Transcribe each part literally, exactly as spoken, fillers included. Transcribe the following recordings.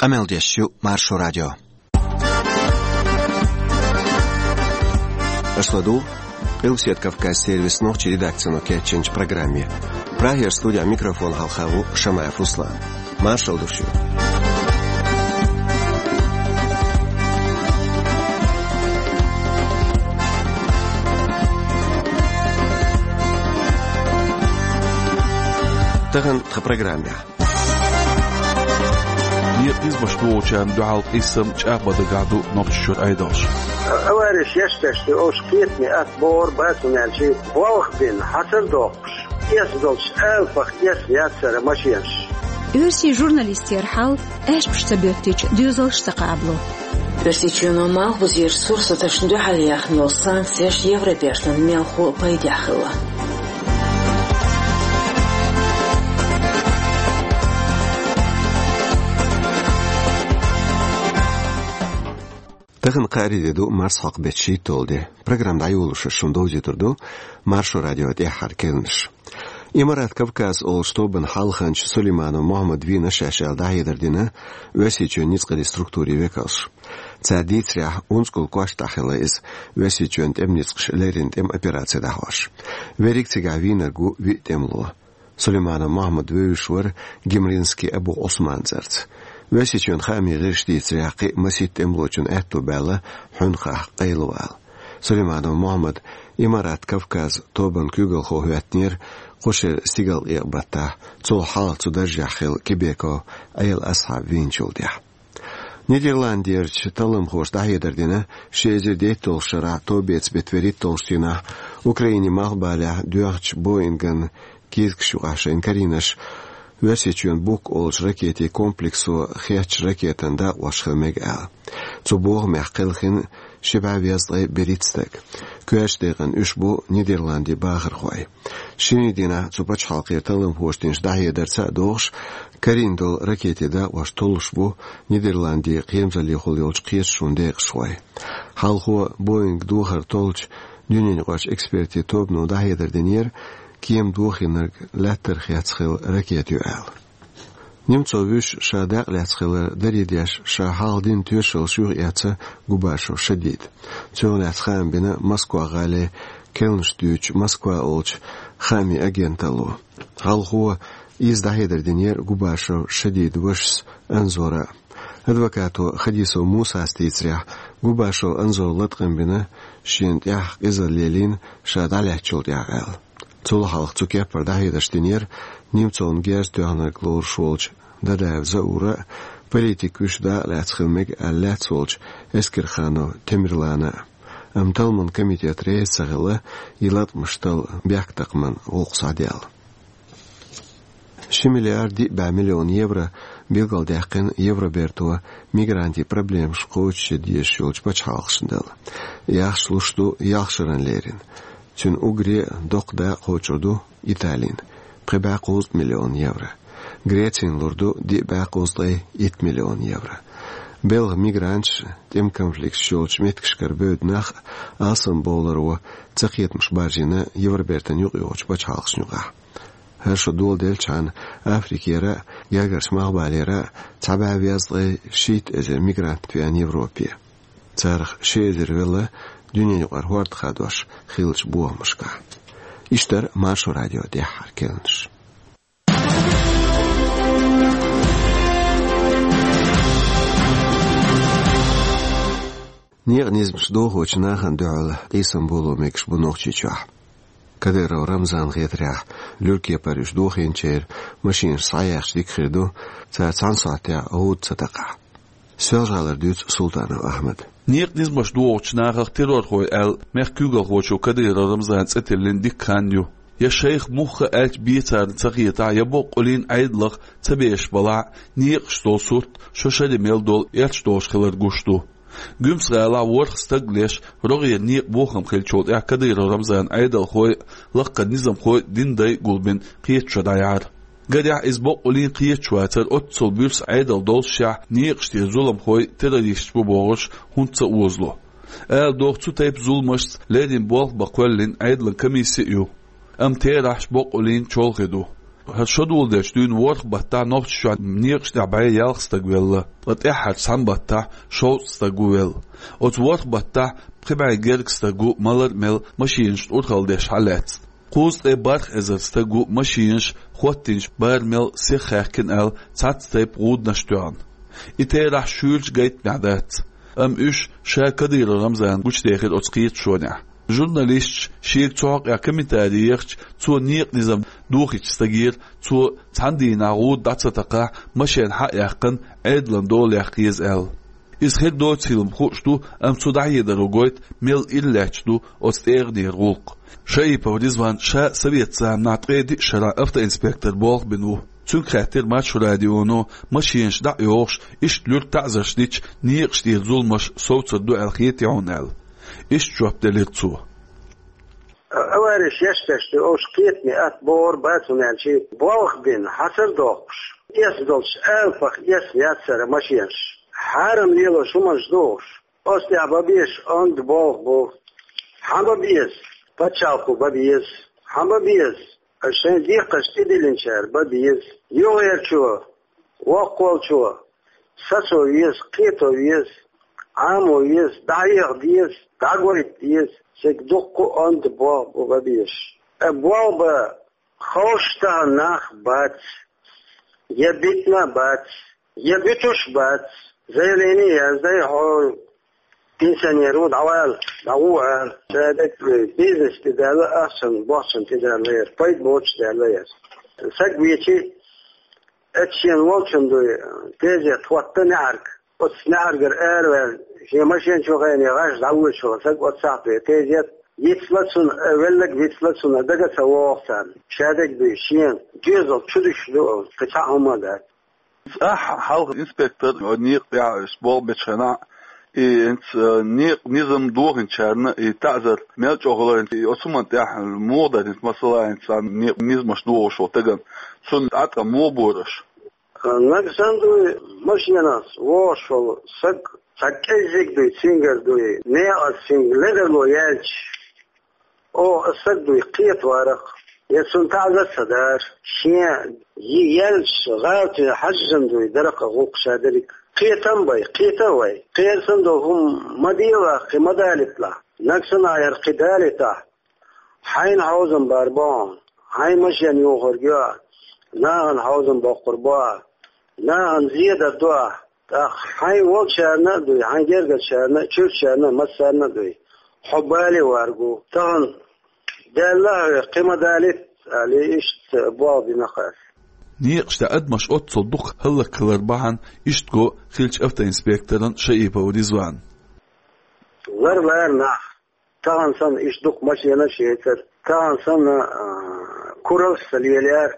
Къамел деш ю Маршо радио. Аша ладугӀу Къилбаседа Кавказан сервисан нохчийн редакцино кечйинчу программе. Прагера студехь микрофон хьалха ву Шамаев Руслан. Маршалла ду шуьга. Тахана тхан программехь. Некъан низамаш дохучарна дуьхьал къийсам чӀагӀбан дагахь ду Нохчийчуьра Ӏедалш. Авареш еш тешна, уьш кхетаме атта бохура, бацун аьлча, болх бина, хьацар доккхуш, эса долчу алапах эса яцара машенаш. Оьрсийн журналистера хьал аьшпаш ца боьттича доьзалш ца кхабало. Оьрсийчоьно малхбузерчу сурсаташна дуьхьал яьхна йолу санкцеш Евробертана мелхо а пайдехь хилла. Тахана кхаарин де ду, марсхьокху беттан шийтталгӀа де. Программа дӀайолош шуна довзуьйтур ду Маршо радион тӀаьххьара керланаш. Имарат Кавказ олучу тобанан хьалханча Сулейманов Мохьмада вийна шаьш аьлла дӀахьедар дина Оьрсийчоьнан ницкъийн структурийн векалша. Цара дийцарехь, унзикъал кошта хилла иза Оьрсийчоьнан тӀеман ницкъаша леррина тӀеман операци дӀахьош. Верриг цигахь вийнарг ву виъ тӀемало. Сулейманов Мохьмад вевзаш вара Гимринский Абу Ӏусман цӀарца. Оьрсийчоьнан хаамийн гӀирсаша дийцарехь, кхин а масийтта тӀемалочунна аьтто баьлла хьуьнхахь къайлавала. Сулейманов Мохьмад Имарат Кавказ тобанан куьйгалхо хӀоьттинера кху шеран стигалкъекъа-баттахь, цул хьалха цу даржехь хилла Кебеков Ӏела Асхьаб вийначул тӀаьхьа. Нидерландерчу талламхоша дӀахьедар дина ши эзар дейтталгӀачу шарахь товбеца беттан вуьрхӀитталгӀачу дийнахь Украинин малхбалехь доьхначу Боинган кийсакаш юкъахь шайна карийнарш Оьрсийчоьнан Бук олучу ракетийн комплексо хеттачу ракетан дакъош хила мега аьлла. Цу бохамехь кхелхина ши бӀе везткъе берхӀитта стаг. Коьртачу декъана уьш бу Нидерландийн бахархой. Шинарин дийнахь цу пачхьалкхера талламхоша динчу дӀахьедарца а догӀуш, карийна долу ракетийн дакъош толлуш бу Нидерландийн кхерамзаллехула йолчу кхеташонан декъашхой. Хьалхо Боинг дохар толлучу дуьненаюкъарчу экспертийн тобано дӀахьедар динера, кема дохийнарг лаьттара хецна хилла ракета ю аьлла. Немцов вуьш ша дакъа лаьцна хилар даре деш, ша хьалха дина тоьшаллаш юхаэцна Губашев Шадида. Цунах лаьцна хаам бина Москва гӀалин керланаш дуьйцучу Москва олучу хаамийн агенталло. Хьалхо иза дӀахьедар динера Губашев Шадидан вашас Анзора. Адвокато Хадисов Мусас дийцарехь, Губашев Анзора латкъам бина шена тӀехь къизалла лелийна ша дӀалаьцначул тӀаьхьа аьлла. Цул хьалха цу кеппара дӀахьедарш динера Немцовна герз тоьхнарг лоруш волчу Дадаев Заура а, политик вуьш дакъа лаьцна хила мега аьлла лаьцна волчу Эскерханов Темирлана а. Амма талламан комитет реза ца хилла и латкъамаш талла бехктакхаман гӀуллакх схьадаьлла. Ши миллиард диъ бӀе миллион евро билгалдаьккхина Евроберто мигрантийн проблемаш кхочушъян дезаш йолчу пачхьалкхашна дала. Ахча луш ду ялх шарна леррина. Цуьнан уггаре а доккха дакъа кхочур ду Италина, пхи бӀе кхузткъа миллион евро. Грецина лур ду диъ бӀе кхузткъе итт миллион евро. Белхан мигранташ, тӀеман конфликташ йолчу меттигашкара бевдда нах а алсамбовларо цакхетамаш баржийна Евробертана юкъайогӀучу пачхьалкхашна юкъахь. ХӀара шо доладелчхьана, Африкера а, Гергарчу Малхбалера а цхьа бӀе везткъе шийтта эзар мигрант веана Европе. Царах ши эзар велла дуьненаюкъара хӀорда хадош хиллачу бохамашкахь. Иштта дара Маршо радион тӀаьххьара керланаш. Некъан низамаш дохочу нахана дуьхьал къийсам боло мегаш бу Нохчийчохь. Кадыров Рамзанна хетарехь, луьра кепара уьш дохийначеран машинаш схьаяьхча дика хир ду, цара цхьана сохьтехь гӀуда ца такхахь. Соьлжа-ГӀалара дуьйцу Султанов Ахьмада. Некъан низамаш дохучу нахах террорхой аьлла, мехкан куьйгалхочо Кадыров Рамзана цӀе тиллина дикка хан ю. Я шайх муха аьлча бен царна ца хетахь, я боккъаллин Ӏедалах ца бешаш балахь а, некъаш долу сурт шо шаре мел долу эрча долуш хилар гуш ду. Гуьмсан-ГӀалахь ворхӀ стаг леш, рогӀера некъан бохам хиллачул тӀаьхьа Кадыров Рамзанан Ӏедалхой а, лаккхара низамхой а динан дай а гулбина кхеташо дӀаяьхьира. Гарехь, иза боккъаллин кхеташ вацара, оццул буьрса Ӏедал доллушехь, некъаш тӀера зуламхой террористаш бу бохурш хӀунда ца озало. Ала догӀу, цу тайпа зуламашца леррина болх бан кхоьллина Ӏедалан комисси а ю. Амма терахьаш боккъаллин чолхе ду. ХӀара шо доладелча дуьйна ворхӀ баттахь Нохчийчохь некъаш тӀехь бӀе ялх стаг велла, ткъа тӀаьххьарчу цхьана баттахь шовзткъа стаг ву велла. Оцу ворхӀ баттахь пхи бӀе гергга стаг ву малар а мел машинашна урхалла деш хьалаьцна. Кхузткъе бархӀ эзар стаг ву машинаш хӀоттийначу барамел сиха хаьхкина аьлла цхьацца тайпа гӀуданаш тоьхна. И терахь шуьйрачу гайтамехь дац. Амма уьш ша Кадыров Рамзана гучудехира оцу кхеташонехь. Журналисташа шега цу хьокъехь комментари ехча, цо некъан низам дохийначу стагера, цо цхьана дийнахь гӀуда дӀа ца такхахь, машен хьа а яьккхина, Ӏедалан дола яккха еза аьлла. Иза хир доцийла-м хууш ду, амма цу дӀахьедаро гойту, мел ирс лаьтташ ду оцу тӀегӀанера гӀуллакх. Шаипов Ризван ша советан заманахь ткъе диъ шарахь автоинспектор болх бина ву. Цуьнга хаьттира Маршо радионо, машинаш дӀа а йохуш, иштта луьра таӀзарш дича, некъаш тӀера зуламаш совцур ду аьлла хетий хьуна аьлла. Иштта жоп делира цо. Авареш еш тешна, уьш кхетаме атта бохур бац, хӀунда аьлча болх бина, хьацар а доккхуш, эс долчу алапах эс яцара машинаш. Хьарам лелош хӀуманаш ду уьш. Оцу тӀехь бан безаш онда болх бу. Хьан бан беза? Пачхьалкхо бан беза. Хьан бан беза? Шайн декхарш тӀедиллинчара бан беза. Юххерчо, воккхаволчо сацо веза, кхето веза, Ӏамо веза, дӀахьеха деза, дӀагойта деза. Цига дуккха а онда болх бу бан безаш. Э, болх бан ховш тахана нах бац, я битина а бац, я буьтуш а бац. Заявление яздай, хьо пенсионер ву, дӀавала, дӀагӀо ала. Ша дерг бизнес тӀедаьлла, ахчан, бохчан тӀедаьлла яра, пайда боцуш даьлла яра. Саг вечи, эцчен волчун дуй, тезет хӀотта неӀарг. Оцу неӀаргара араваьлла, шен машен чу гӀайне гӀаш дӀавоьдуш вара саг, оццахь дуй, тезет. Йицлацун, э, веллаг вицлацун, дага ца вогӀу царна. Ша дерг дуй, шен доьзал чу дуьсуш ду, кхин цхьа а хӀума а дац. Ахь хьалха инспектор, некъа тӀехь аш болх бечу хенахь, и хӀинца, э, некъан низам дохийначарна и таӀзар мел чӀогӀа хилар, и оцу хӀуманна тӀехь муха дара хӀинца, масала, хӀинца некъан низамаш дохош волу стагана, цунна тӀаткъам муха бора аш? Нагахь санна дуй, машенахь вогӀуш волу саг, цхьа кӀеззиг дуй, цуьнгара дуй, некъаца цуьнга ледарло яьлча, оха аса саг дуй, кхета варах, я цунна таӀзар ца дара, шен йи яьлча, гӀалатина хьаьжжина дуй, даракъа гӀуллакх ша дерриг. Кхетам бай, кхета а вай. Кхерсан долу хӀума ма делахь, кхин ма далийталахь. Нагахь санна яра кхин далийтахь, хьайна хьовзам бар бохьа, хьайн машен юхург йо, нахана хьовзам боккхур бохьа, нахана зедар дуа, тӀаккха хьайн волчарна а дуй, хьайн гергарчарна а, чуьрчарна а, массарна а дуй. Хьо бале варгу. Тахана Далла хьоьга кхин ма далийта, али иштта болх бина хьо. Некъаш тӀе адамаш оццул дукха хӀаллакьхилар бахьана иштта го хиллачу автоинспекторан Шаипов Ризван. Лар-лара нах. Тахана санна иштта дукха машенаш а яцара. Тахана санна, а, кураллаш ца лелаяра.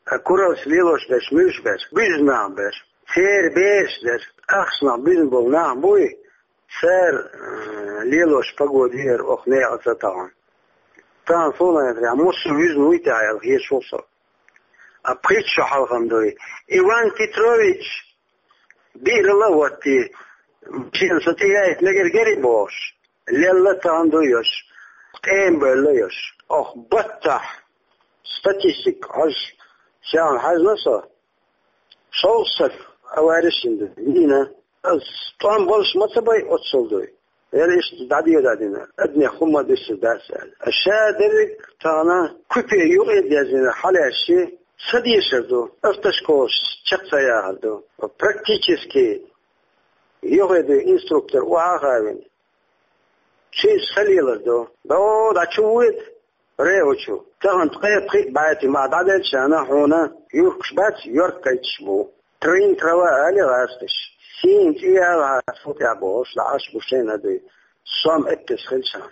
А, кураллаш лелош берш муьлш бара? Буьзна нах бара. Церан бераш дара. Ахчанах буьзна болу нах буй, цара, а, лелош погода яра оха некъаца тахана. Тахана суна яхарехь, муьлш вуьзна вуй те аьлла хеташ ву со. А пхийтта шо хьалха-м дуй. Иван Петрович, биъралла а ватти, шена со тӀеяйта мегар гери бохуш, лелла а тахана дуй йош, ткъе бевлла йош. Оха баттахь статистика хьожуш, шена хьаьжна со, шовзткъа стаг авареш йина ду, вийна. Ас тӀом болуш ма ца бай оццул дуй. Яра иштта дӀадийр дина, адамех хӀумма дуьсур дац аьлла. Ша дерриг тахана купе юкъе а даьззина хьалаьшши, ца дешар ду, автошколаш чекх ца яхар ду. Практически юххе дуй инструктор охьа а хавина, цуьнца ца лелар ду. До, дӀа чу вуьйта? Реучу. Тахана ткъе пхиъ бӀаьти ма дӀаделчарна хьуна юркаш бац, йорк кхайчаш бу. Трин трава али гӀазкхаш. Сийна чӀе яла хьа цул тӀехь бохуш, лаьӀаш бу шайна дуй. Сом эппес хилча.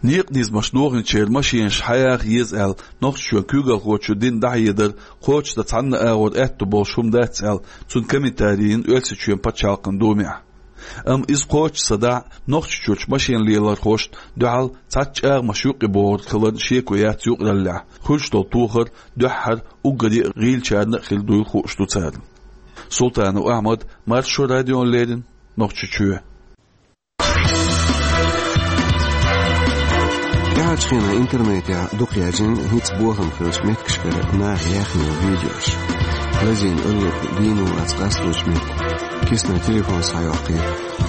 Некъан низамаш дохийначеран машенаш хьаяха еза аьлла, Нохчийчоьнан куьйгалхочо дина дӀахьедар кхочушдан цхьанна агӀор аьтто болуш хӀума дац аьлла, цуьнан комментари йина Оьрсийчоьнан пачхьалкхан думехь. Амма иза кхочуш ца дахь, Нохчийчуьрчу машен лелорхошна дуьхьал цхьацца чӀагӀамаш юкъе бохург хиларна шеко яц юкъараллехь, хуьлуш долу тохар дуьххьара уггаре а гӀийлачарна а хир дуйла хууш ду царна. Султанов Ахьмад, Маршо радиона леррина, Нохчийчоь. ТӀаьхьарчу хенахь интернетехь дукха яьржина хӀинца бохам хиллачу меттигашкара наха яьхна йолу видеош. Лазийна оьлларг дийна вац къасталучу метте, киснан телефон схьайоккхий,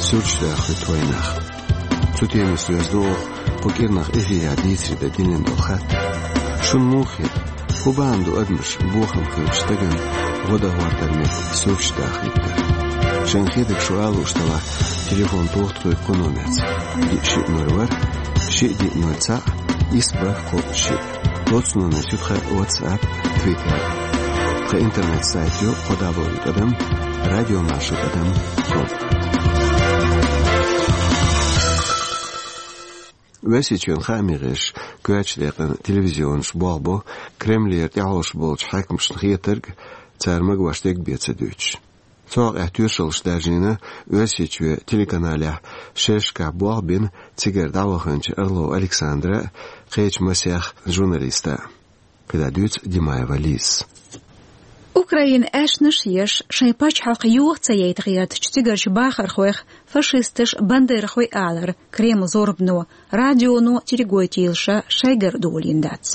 суьрташ даха хуьтту вайнах. Цу темаца доьзна ду оха кху кӀирнах эфирехь дийцаре дан динан долу хаттар. Шуна муха хета, хӀун бахьана ду адамаш бохам хиллачу стагана гӀо дан хӀоттар метте суьрташ даха хӀиттар? Шайна хетарг шу ала лууш делахь, телефон тоха тхоьга кху номерца: диъ шиъ ноль ворхӀ, шиъ диъ ноль цхьаъ, исс бархӀ кхоъ шиъ. Оццу номерца ю тхан WhatsApp, Twitter. Тхан интернет-сайт ю кхо дабл ю тӀадам радиомаршо тӀадам ком. Оьрсийчоьнан хаамийн гӀирсаша коьртачу декъана телевизионаш болх бо Кремлера тӀехьовш болчу хьаькамашна хетарг, цара магош дерг бен ца дуьйцуш. Цу хьокъехь тоьшаллаш даржийна Оьрсийчоь телеканалехь шерашкахь болх бина цигара дӀаваханчу Орлов Александра а, кхечу масех журналиста а. КхидӀа дуьйцу Димаева Лизас. Украинан аьшнаш а еш, шайн пачхьалкх йоха ца яйта гӀертачу цигарчу бахархойх фашисташ бандеровцаш алар Кремлан зорбано, радионо, телегойтийлаша шайгара а долийна дац.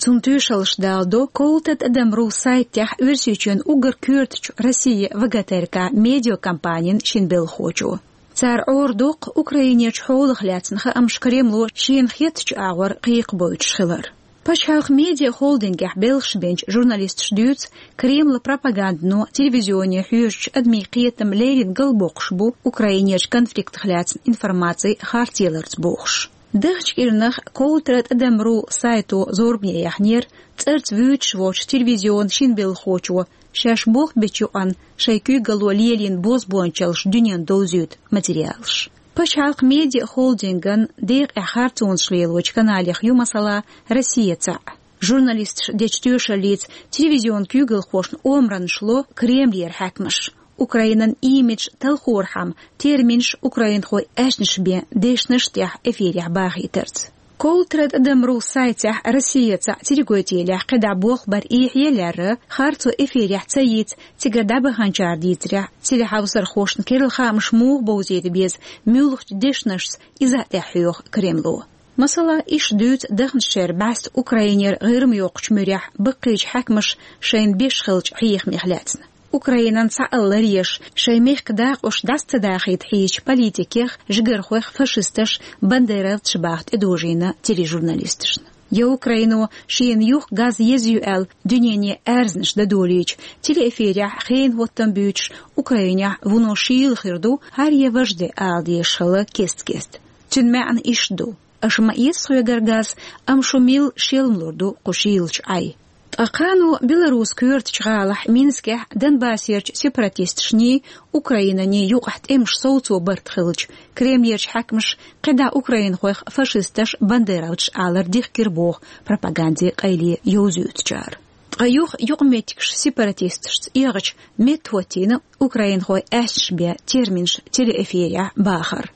Цунна тоьшаллаш даладо Ковлтра тӀадам ру сайтехь Оьрсийчоьнан уггар коьртачу Россия ВГТРК медиакомпанин шина белхахочо. Цара Ӏорадоккху Украинерчу хьолах лаьцна хаамаш Кремло шена хеттачу агӀор кхайкхабойтуш хилар. Пачхьалкхан медиахолдингехь белхаш бинчу журналисташа дуьйцу, Кремлан пропагандано, телевизионе хьоьжучу адамийн кхетам леррина галбоккхуш бу Украинерчу конфликтах лаьцна информаци харцлеларца бохуш. Даханчу кӀирнах Ковлтра тӀадам ру сайто зорбане яьхнера цӀарца вуьйцуш воцчу телевизионан шина белхахочо шаьш болх бечу юкъана шайн куьйгалло лелийна бозбуунчаллаш дуьненна довзуьйту материалаш. Пачхьалкхан медиахолдинган декъехь харцонаш лелочу каналех ю, масала, «Россия» цхьаъ. Журналисташа дечу тоьшаллица телевизионан куьйгалхошна омранаш ло Кремлера хьаькамаша, Украинан имидж талхорхьама, терминаш украинхойн аьшнаш бен дешнаш тӀехь эфирехь бахийтарца. Ковлтра тӀадам ру сайтехь «Россия» цхьаъ телегойтийлехь кхидӀа болх бар эхье а лаьрра, харцо эфирехь ца йийца, цигара дӀабаханчара дийцарехь, телехьовсархошна керла хаамаш муха бовзийта беза, муьлхачу дешнашца, иза а тӀехь хьоьху Кремло. Масала, иштта дуьйцу даханчу шеран бӀаьста Украинера ГӀирма йоккхучу муьрехь баккхийчу хьаькамаша шайна беш хиллачу хьехамех лаьцна. Украинан цхьаалла ларъеш, шайн мехкан дакъош дӀаса ца дахийта хьийзачу политикех, жигархойх фашисташ, бандеровцаш баха тӀедожийна тележурналисташна. Я Украино шена юха газ еза ю аьлла дуьнене аьрзнаш дан долийча, телеэфирехь хенан хӀоттам буьйцуш, Украинехь вуно шийла хир ду, хӀара я важа де ала дезаш хилла кест-кеста. Цуьнан маьӀна иштта ду: аша ма эца тхоьгара газ, амма шу милла шелмалур ду кху шийлачу Ӏай. Ткъа кхано Беларусин коьртачу гӀалахь Минскехь Донбассерчу сепаратисташний, Украинанний юкъахь тӀемаш совцо барт хилча, Кремлерчу хьаькамаша кхидӀа украинхойх фашисташ, бандеровцаш алар дихкира боху пропагандин къайле йовзуьйтучара. Ткъа юха юкъаметтигаш сепаратисташца эгӀача, меттахӀоттийна украинхойн аьшнаш бен терминаш телеэфирехь бахар.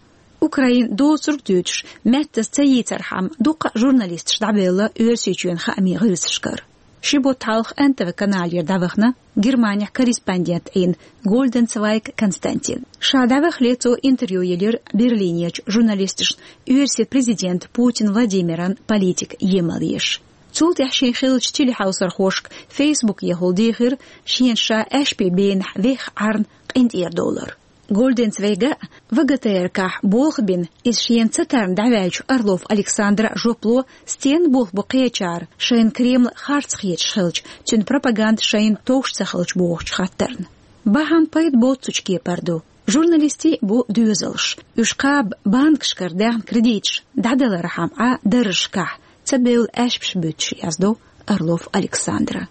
Украин доцург дуьйцуш, меттаза ца йийцархьама, дуккха а журналисташ дӀабевлла Оьрсийчоьнан хаамийн гӀирсашкара. Ши бутт хьалха Н Т В каналера дӀавахана Германехь корреспондент Ӏийна Гольденцвайг Константин. Ша дӀавахале цо интервью елира Берлинерчу журналисташна оьрсийн президент Путин Владимиран политика емал еш. Цул тӀаьхьа шен хиллачу телехьовсархошка Фейсбукехула дийхира шена ша аьшпийн бенахь вехха Ӏарна къинтӀера довлар. Гольденцвайга В Г Т Р К-хь болх бина, иза шена ца тарна дӀаваьллачу Орлов Александра жоп ло, стенна болх бу кхечара, шайна Кремл харц хеташ хилча, цуьнан пропаганда шайна товш ца хилча бохучу хаттарна. Бахьана пайда боццучу кепара ду. Журналистийн бу доьзалш. Уьш кхаба банкашкара даьхна кредиташ дӀадалархьама Ӏа даржашкахь, ца бевлла аьшпаш буьтуш, яздо Орлов Александра.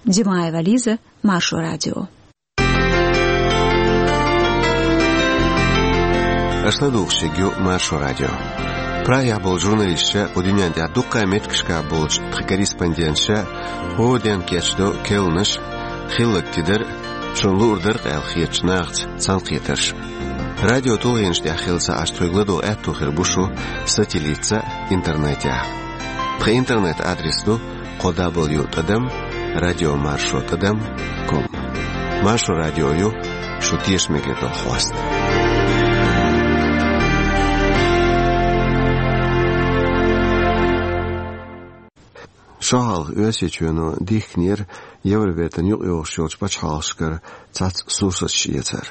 Димаева Лиза, Маршо радио. Аша ладугӀуш ерг ю Маршо радио. Прагехь болу журналисташа, кху дуьнен тӀехь дуккха а меттигашкахь болчу тхан корреспонденташа хӀора ден кечдо керланаш, хилларг тидар, шуна луур дара-кх аьлла хетачу нахаца цхьаьнакхетарш. Радио тулгӀенаш тӀехь хилла ца Ӏаш тхоьга ладогӀа аьтто хир бу шу сателлитца а, интернетехь а. Тхан интернет-адрес ду кхо дабл ю тӀадам радио маршо тӀадам ком. Маршо радио ю шу тешаме хир долу хьоста. Шо хьалха Оьрсийчоьно дихкинера Евробертана юкъайогӀуш йолчу пачхьалкхашкара цхьацца сурсаташ эцар.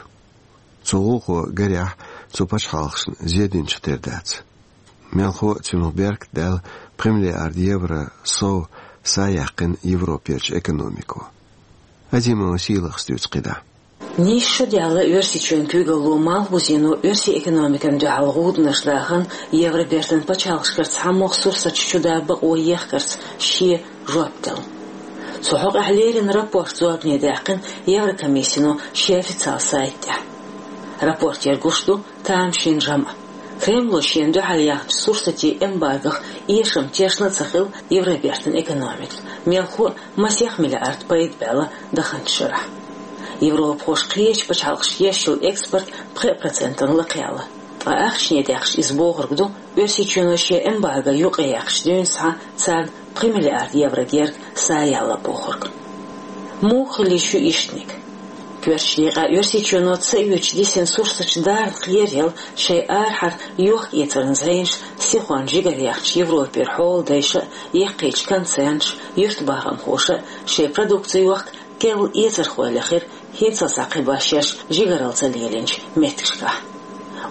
Цу гӀуллакхо, гарехь, цу пачхьалкхашна зе динчух тера дац. Мелхо а цунах беркат даьлла, пхи миллиард евро сов са яьккхина Европерчу экономико. Азимова Сийлахас дуьйцу кхидӀа. Нийсса шо даьлла Оьрсийчоьнан куьйгалло Малхбузено оьрсийн экономикана дуьхьал гӀуданаш дахана, Евробертан пачхьалкхашкара цхьамогӀа сурсаташ чу да бакъо ехкарца шен жоп делла. Цу хьокъехь леррина рапорт зорбане даьккхина Еврокомиссино шен официал сайта тӀехь. Рапортера гуш ду тамашийна жамӀ. Кремло шена дуьхьал яьхначу сурсатийн эмбаргох эшам тешна а ца хилла Евробертан экономикана, мелхо а масех миллиард пайда баьлла даханчу шарахь. Европахоша кхечу пачхьалкхашка еш йолу экспорт пхи процентана лакхаелла. Ткъа ахчане даьккхича иза бохург ду, Оьрсийчоьно шен эмбарго юкъаяьккхича дуьйна схьа царна пхи миллиард евро герга са яьлла бохург. Муха хилла ю иштаниг? Коьртачу декъехь Оьрсийчоьно ца оьцуш дисина сурсаташ дарна кхераелла, шайн арахьара йохка-эцаран зӀенаш сихонна жигара яьхначу Европера хьоладайша а, яккхийчу концернаша а, юьртбахамхоша а шайн продукци йохка керла эцархой лехира хӀинццалц кхин башеш жигаралла ца лелийначу меттигашкахь.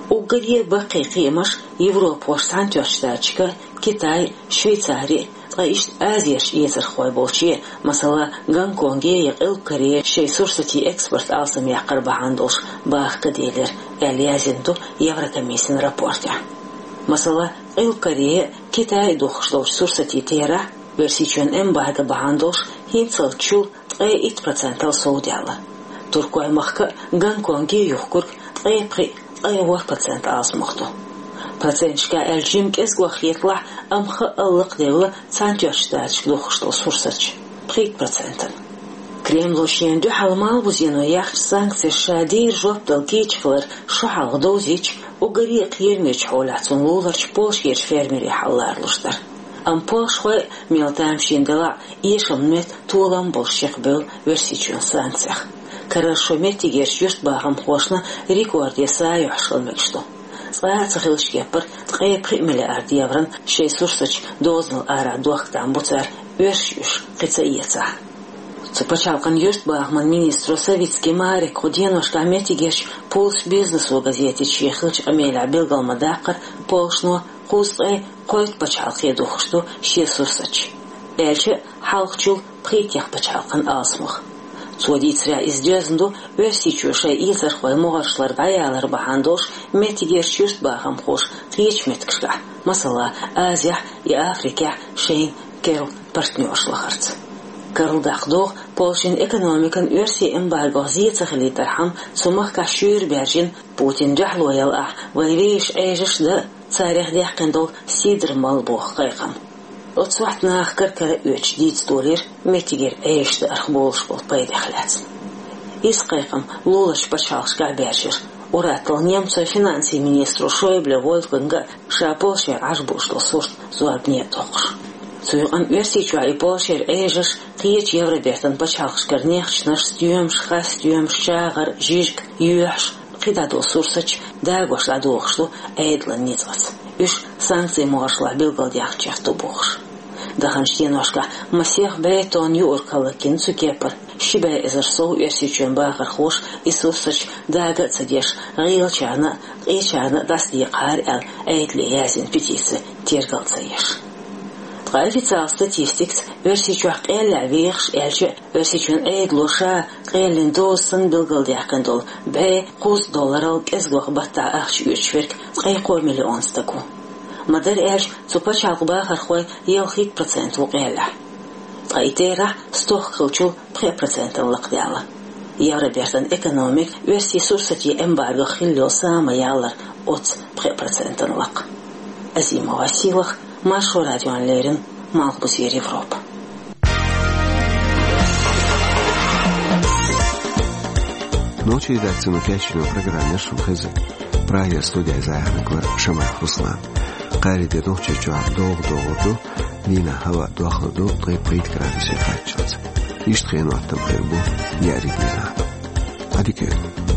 Уггаре а баккхий кхиамаш Европахошна Цхьаьнатоьхначу Штаташка, Китай, Швейцари, ткъа иштта Азерчу эцархой болче, масала, Гонконге я Къилба Корее шайн сурсатийн экспорт алсамъяккхар бахьана долуш баха ка делира, аьлла яздина ду Еврокомиссин рапортехь. Масала, Къилба Корее, Китай духкуш долчу сурсатийн терахь Оьрсийчоьнан эмбарго бахьана долуш хӀинццалц чул ткъе итт процентал совдаьлла. Туркойн махка а, Гонконге а юхкург ткъе пхиъ, ткъе ворхӀ процент алсамох ду. Проценташкахь аьлча жимма кӀезиг хеталахь, амма хаъал лакхадевлла Цхьаьнатоьхначу Штаташка духкуш долу сурсаташ пхийтта процентана. Кремло шена дуьхьал Малхбузено яьхначу санкцешна ша дийр жоп дала кийча хилар шо хьалха довзийча, уггаре а кхерамечу хьолехь цунна луларчу Польшерчу фермерийн хьал ларалуш дара. Амма польшахой а, мел тамашийна делахь а, эшаман метта толам болуш чекхбевлла Оьрсийчоьнан санкцех. Карара шо меттигерчу юьртбахамхошна рекорде са юьхьуш хила мегаш ду. Цкъа а ца хиллачу кепара ткъе пхиъ миллиард еврона шайн сурсаташ дозанал арахь дохка там бу цара, оьрсаша уьш кхин ца эцахь. Цу пачхьалкхан юьртбахаман министро Савицкий Марека кху деношкахь меттигерчу «Пульс бизнесу» газетаца шен хиллачу къамелехь билгал ма-даккхара, Польшано кхузткъе кхойтта пачхьалкхе духкуш ду шен сурсаташ, аьлча а хьалхачул пхийттех пачхьалкхан алсамох. Цо дийцарехь, иза доьзна ду Оьрсийчоь шайн эцархой могӀаршлара дӀаялар бахьана долуш меттигерчу юьртбахамхоша кхечу меттигашкахь, масала, Азехь я Африкехь шайна керла партнерш лахарца. Карладаккха догӀу, Польшин экономикана оьрсийн эмбаргох зе ца хилийтархьама, цу махкахь шуьйра баьржина, Путина дуьхьало яла ахь, вайн вешан Ӏежаш а дан а, царех даьккхина долу сидр мала боху кхайкхам. Оцу сохьта наха кара-кара а оьцуш дийца долийра меттигера Ӏежаш даарх болуш болу пайдех лаьцна. Иза кхайкхам луларчу пачхьалкхашкахь а баьржира. Ур-атталла немцойн финансийн министро Шойбле Вольфганга а ша Польшера Ӏаш бууш долу сурт зорбане а доккхуш. Цу юкъана Оьрсийчохь я Польшера Ӏежаш, кхечу Евробертан пачхьалкхашкара нехчанаш, стоьмаш, хасстоьмаш, чагӀар, жижиг, йоьхьаш, кхидӀа долу сурсаташ дагош дӀадохуш ду Ӏедалан ницкъаца, уьш санкцийн могӀаршлахь билгалдаьхначех ду бохуш. Даханчу деношкахь масех бӀе тонна юург хӀаллакйина цу кепара, ши бӀе эзар сов Оьрсийчоьнан бахархоша и сурсаташ дага а ца деш, гӀийлачарна а, къечарна а дӀасадекъахьара аьлла, Ӏедале яздина петици тергал ца еш. Ткъа официалан статистикаца Оьрсийчохь къеллехь вехаш, аьлча а, Оьрсийчоьнан Ӏедало ша къеллин доза санна билгалдаьккхина долу бӀе кхузткъа долларал кӀезигох баттахь ахча оьцуш верг ткъе кхо миллион стаг ву. Ма-дарра аьлча, цу пачхьалкхан бахархойн ялхитта процент ву къеллехь. Ткъа и терахь стохка хиллачул пхи процентана лакхадаьлла. Евробертан экономика оьрсийн сурсатийн эмбаргох хилла йолу са ма-яллара оццу пхи процентана лакха. Азимова Сийлаха, Маршо радиона леррина, Малхбузера Европа. Нохчийн редакцино кечйина программа яра шуна хезна. Прагера студехь иза яхьаниг вара Шамаев Руслан. Кхаарин де Нохчийчохь догӀа догӀур ду, дийнахь хӀаваъ дохлур ду ткъе пхийтта градусе кхаччалц. Иштта хенан хӀоттам хир бу неӀариг дийнахь. Ӏадика йойла.